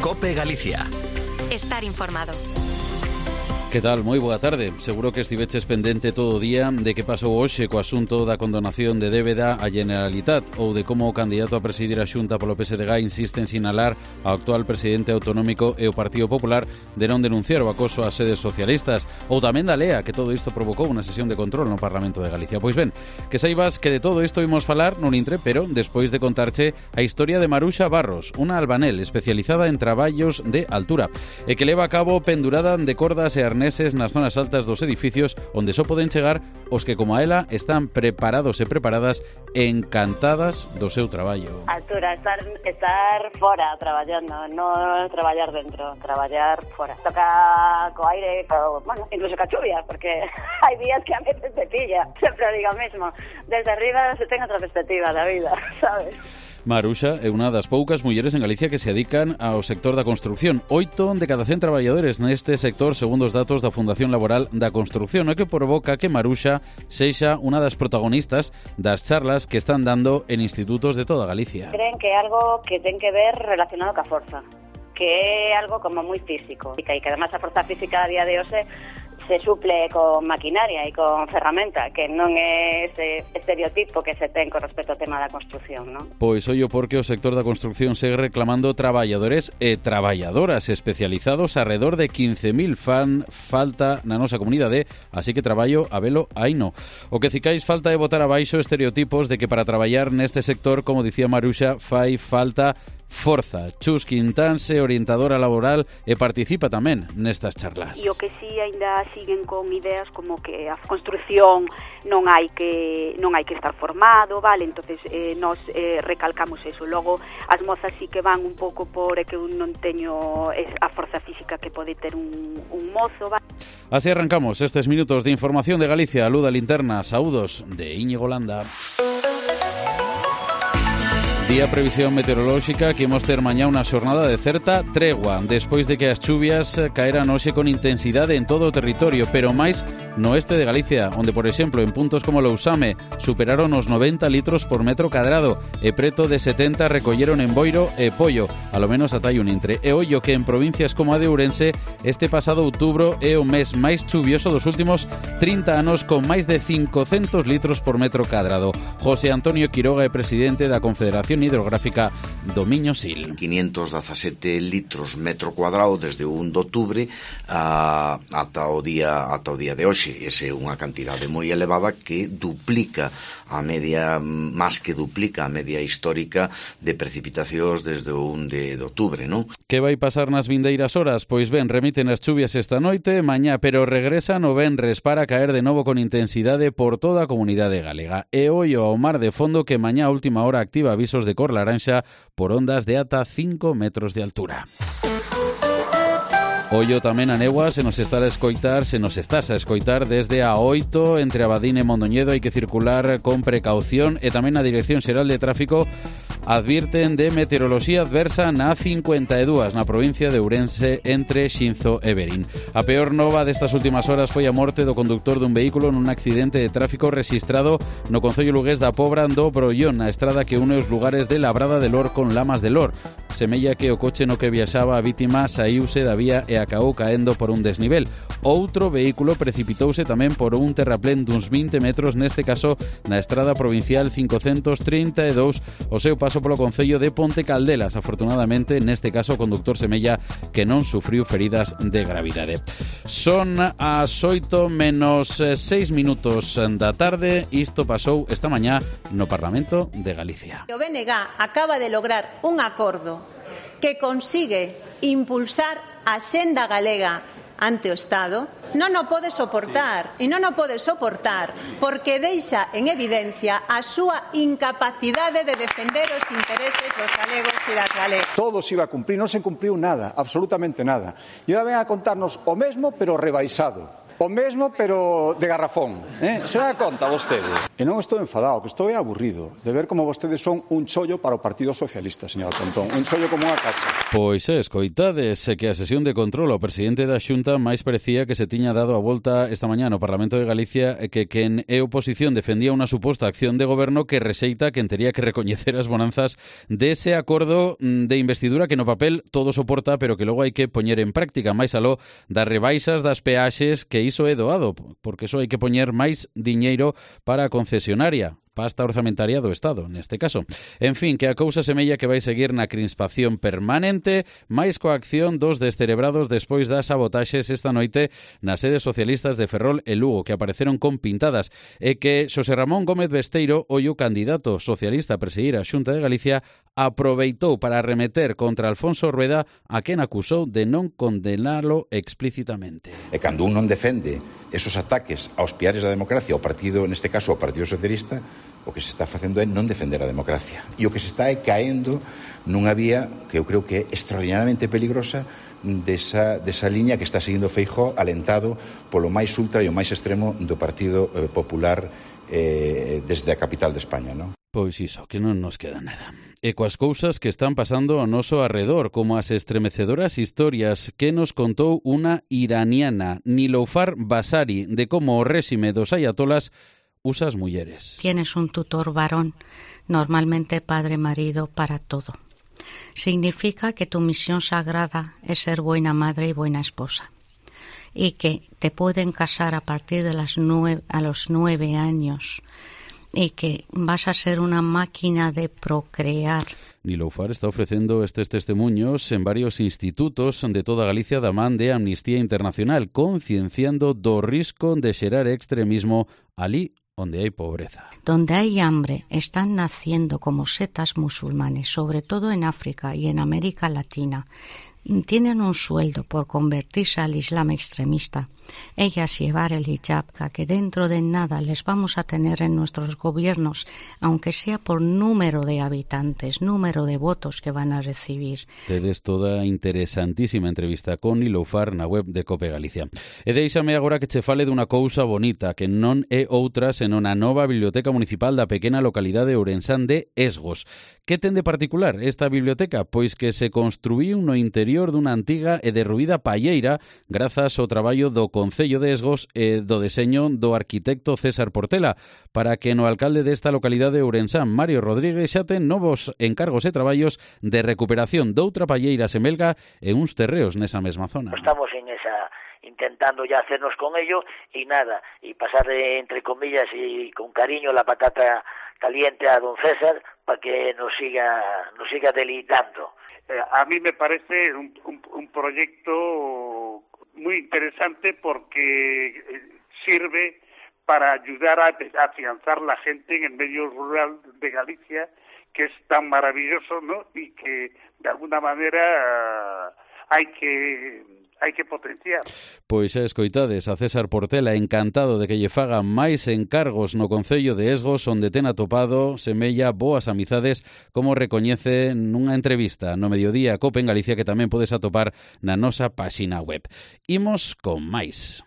COPE Galicia. Estar informado. Que tal? Moi boa tarde. Seguro que estiveches pendente todo o día de que pasou hoxe co asunto da condonación de débeda á Generalitat ou de como o candidato a presidir a Xunta polo PSDG insiste en sinalar ao actual presidente autonómico e o Partido Popular de non denunciar o acoso ás sedes socialistas, ou tamén da lea que todo isto provocou unha sesión de control no Parlamento de Galicia. Pois ben, que saibas que de todo isto imos falar nun intre, pero despois de contarche a historia de Maruxa Barros, unha albanel especializada en traballos de altura e que leva a cabo pendurada de cordas e arneses nas zonas altas dos edificios onde só poden chegar os que, como a ela, están preparados e preparadas encantadas do seu traballo. Altura, estar fora traballando, non traballar dentro, traballar fora. Toca co aire, bueno, incluso ca chuvia, porque hai días que a veces te pilla, sempre digo o mesmo. Desde arriba se ten outra perspectiva da vida, sabes? Maruxa é unha das poucas mulleres en Galicia que se dedican ao sector da construción. 8 de cada 100 traballadores neste sector, segundo os datos da Fundación Laboral da Construción, o que provoca que Maruxa sexa unha das protagonistas das charlas que están dando en institutos de toda Galicia. Creen que é algo que ten que ver relacionado ca forza, que é algo como moi físico, e que además a forza física a día de hoxe se suple con maquinaria e con ferramenta, que non é ese estereotipo que se ten con respecto ao tema da construción, non? Pois ollo porque o sector da construción segue reclamando traballadores e traballadoras especializados, alrededor de 15.000 falta na nosa comunidade, así que traballo a velo aino. O que cicais falta é botar abaixo estereotipos de que para traballar neste sector, como dicía Maruxa, fai falta forza. Chus Quintanse, orientadora laboral, e participa tamén nestas charlas. E o que si ainda siguen con ideas como que a construción non hai que estar formado, vale? Entonces nos recalcamos eso. Logo as mozas sí que van un pouco por que eu non teño a forza física que pode ter un mozo, vale? Así arrancamos estes minutos de información de Galicia. Luz da Linterna, saúdos de Íñigo Landa. Día previsión meteorolóxica que imos ter mañá unha xornada de certa tregua despois de que as chuvias caeran hoxe con intensidade en todo o territorio, pero máis no oeste de Galicia, onde, por exemplo, en puntos como Lousame superaron os 90 litros por metro cadrado e preto de 70 recolleron en Boiro e Pollo, alo menos ata hai un intre. E ollo que en provincias como a de Ourense este pasado outubro é o mes máis chuvioso dos últimos 30 anos, con máis de 500 litros por metro cadrado. José Antonio Quiroga é presidente da Confederación Hidrográfica do Miño Sil. 517 litros metro cuadrado desde o 1 de outubro ata o día de hoxe. Esa é unha cantidade moi elevada que duplica a media, máis que duplica a media histórica de precipitacións desde o 1 de outubro, non? Que vai pasar nas vindeiras horas? Pois ben, remiten as chuvias esta noite, mañá, pero regresan o venres para caer de novo con intensidade por toda a comunidade galega. E ollo ao mar de fondo que mañá a última hora activa avisos de cor laranxa por ondas de ata 5 metros de altura. Ollo tamén a negua, se nos estás a escoitar desde a 8 entre Abadín e Mondoñedo. Hai que circular con precaución e tamén a Dirección Xeral de Tráfico advirten de meteoroloxía adversa na 52 na provincia de Ourense entre Xinzo e Verín. A peor nova destas últimas horas foi a morte do conductor dun vehículo nun accidente de tráfico rexistrado no concello lugués da Pobra do Brollón, na estrada que une os lugares de Labrada de Lor con Lamas de Lor. Semella que o coche no que viaxaba a vítima saíuse da vía e acabou caendo por un desnivel. Outro vehículo precipitouse tamén por un terraplén duns 20 metros, neste caso na estrada provincial 532, o seu paso polo concello de Ponte Caldelas. Afortunadamente, neste caso, o conductor semella que non sufriu feridas de gravidade. Son as 8 menos 6 minutos da tarde. Isto pasou esta mañá no Parlamento de Galicia. O BNG acaba de lograr un acordo que consigue impulsar a senda galega ante o Estado. Non o pode soportar, e non o pode soportar porque deixa en evidencia a súa incapacidade de defender os intereses dos galegos e das galegas. Todo se iba a cumprir, non se cumpriu nada, absolutamente nada. E ahora ven a contarnos o mesmo, pero rebaixado. O mesmo, pero de garrafón, Se dá conta vostede? E non estou enfadado, que estou aburrido de ver como vostedes son un chollo para o Partido Socialista, señor Pontón, un chollo como unha casa. Pois escoitades que a sesión de control ao presidente da Xunta máis parecía que se tiña dado a volta esta mañá no Parlamento de Galicia que quen é oposición defendía unha suposta acción de goberno que rexeita quen tería que recoñecer as bonanzas dese acordo de investidura que no papel todo soporta, pero que logo hai que poñer en práctica, máis aló das rebaixas das peaxes, que iso é doado, porque iso hai que poñer máis diñeiro para a concesionaria, pasta orzamentaria do Estado, neste caso. En fin, que a cousa semella que vai seguir na crispación permanente, máis coa acción dos descerebrados despois das sabotaxes esta noite nas sedes socialistas de Ferrol e Lugo, que apareceron con pintadas, e que Xosé Ramón Gómez Besteiro, o candidato socialista a presidir a Xunta de Galicia, aproveitou para arremeter contra Alfonso Rueda, a quen acusou de non condenalo explícitamente. E cando un non defende esos ataques aos piares da democracia, ao partido, neste caso ao Partido Socialista, o que se está facendo é non defender a democracia. E o que se está é caendo nunha vía que eu creo que é extraordinariamente peligrosa desa liña que está seguindo Feijóo, alentado polo máis ultra e o máis extremo do Partido Popular desde a capital de España, non? Pois iso, que non nos queda nada. E coas cousas que están pasando ao noso arredor, como as estremecedoras historias que nos contou unha iraniana, Niloufar Basari, de como o réxime dos ayatolas usa as mulleres. Tienes un tutor varón, normalmente padre-marido para todo. Significa que tu misión sagrada es ser buena madre y buena esposa. Y que te pueden casar a partir de los 9 años y que vas a ser una máquina de procrear. Niloufar está ofrecendo estes testemunhos en varios institutos de toda Galicia da man de Amnistía Internacional, concienciando do risco de xerar extremismo ali onde hai pobreza. Donde hay hambre están naciendo como setas musulmanes, sobre todo en África y en América Latina. Tienen un sueldo por convertirse al Islam extremista. Ellas llevar el hijab, que dentro de nada les vamos a tener en nuestros gobiernos, aunque sea por número de habitantes, número de votos que van a recibir. Tedes toda interesantísima entrevista con Niloufar na web de Cope Galicia. E deixame agora que che fale dunha cousa bonita, que non é outra senón a nova biblioteca municipal da pequena localidade ourensán de Esgos. Que ten de particular esta biblioteca? Pois que se construíu no interior dunha antiga e derruída palleira grazas ao traballo do Concello de Esgos e do deseño do arquitecto César Portela, para que no alcalde desta localidade ourensán, Mario Rodríguez, xa ten novos encargos e traballos de recuperación doutra palleira semelga e uns terreos nesa mesma zona. Estamos en esa, intentando ya hacernos con ello y nada, y pasar entre comillas y con cariño la patata caliente a don César para que nos siga deleitando. A mí me parece un proyecto muy interesante porque sirve para ayudar a afianzar la gente en el medio rural de Galicia, que es tan maravilloso, ¿no? Y que de alguna manera hay que potenciar. Pois xa escoitades a César Portela, encantado de que lle fagan máis encargos no Concello de Esgos, onde ten atopado semella boas amizades, como recoñece nunha entrevista no Mediodía Cope en Galicia, que tamén podes atopar na nosa páxina web. Imos con máis.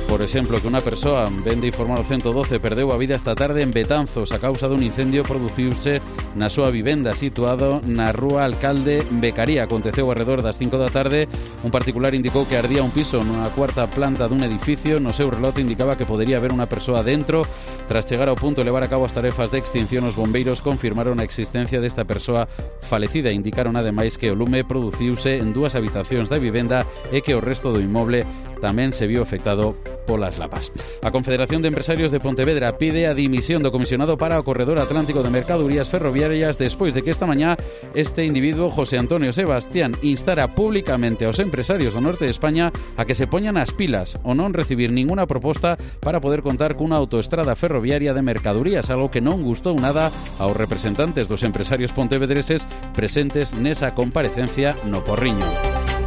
Por exemplo, que unha persoa, vende informar o 112, perdeu a vida esta tarde en Betanzos a causa dun incendio produciuse na súa vivenda situado na rúa Alcalde Becaría. Aconteceu alrededor das 5 da tarde. Un particular indicou que ardía un piso nunha cuarta planta dun edificio. No seu relote indicaba que podería haber unha persoa dentro. Tras chegar ao punto e levar a cabo as tarefas de extinción, os bombeiros confirmaron a existencia desta persoa falecida. Indicaron ademais que o lume produciuse en 2 habitacións da vivenda e que o resto do inmoble tamén se viu afectado polas lapas. A Confederación de Empresarios de Pontevedra pide a dimisión do comisionado para o Corredor Atlántico de Mercadorías Ferroviarias despois de que esta mañá este individuo, José Antonio Sebastián, instara públicamente aos empresarios do norte de España a que se poñan as pilas ou non recibir ninguna proposta para poder contar cunha autoestrada ferroviaria de mercadorías, algo que non gustou nada aos representantes dos empresarios pontevedreses presentes nesa comparecencia no Porriño.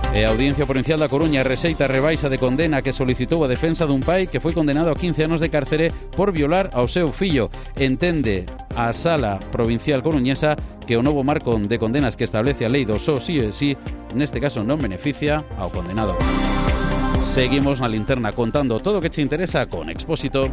E a Audiencia Provincial da Coruña rexeita a rebaixa de condena que solicitou a defensa dun pai que foi condenado a 15 anos de cárcere por violar ao seu fillo. Entende a Sala Provincial Coruñesa que o novo marco de condenas que establece a lei do só si e si neste caso non beneficia ao condenado. Seguimos na linterna contando todo o que te interesa con Expósito.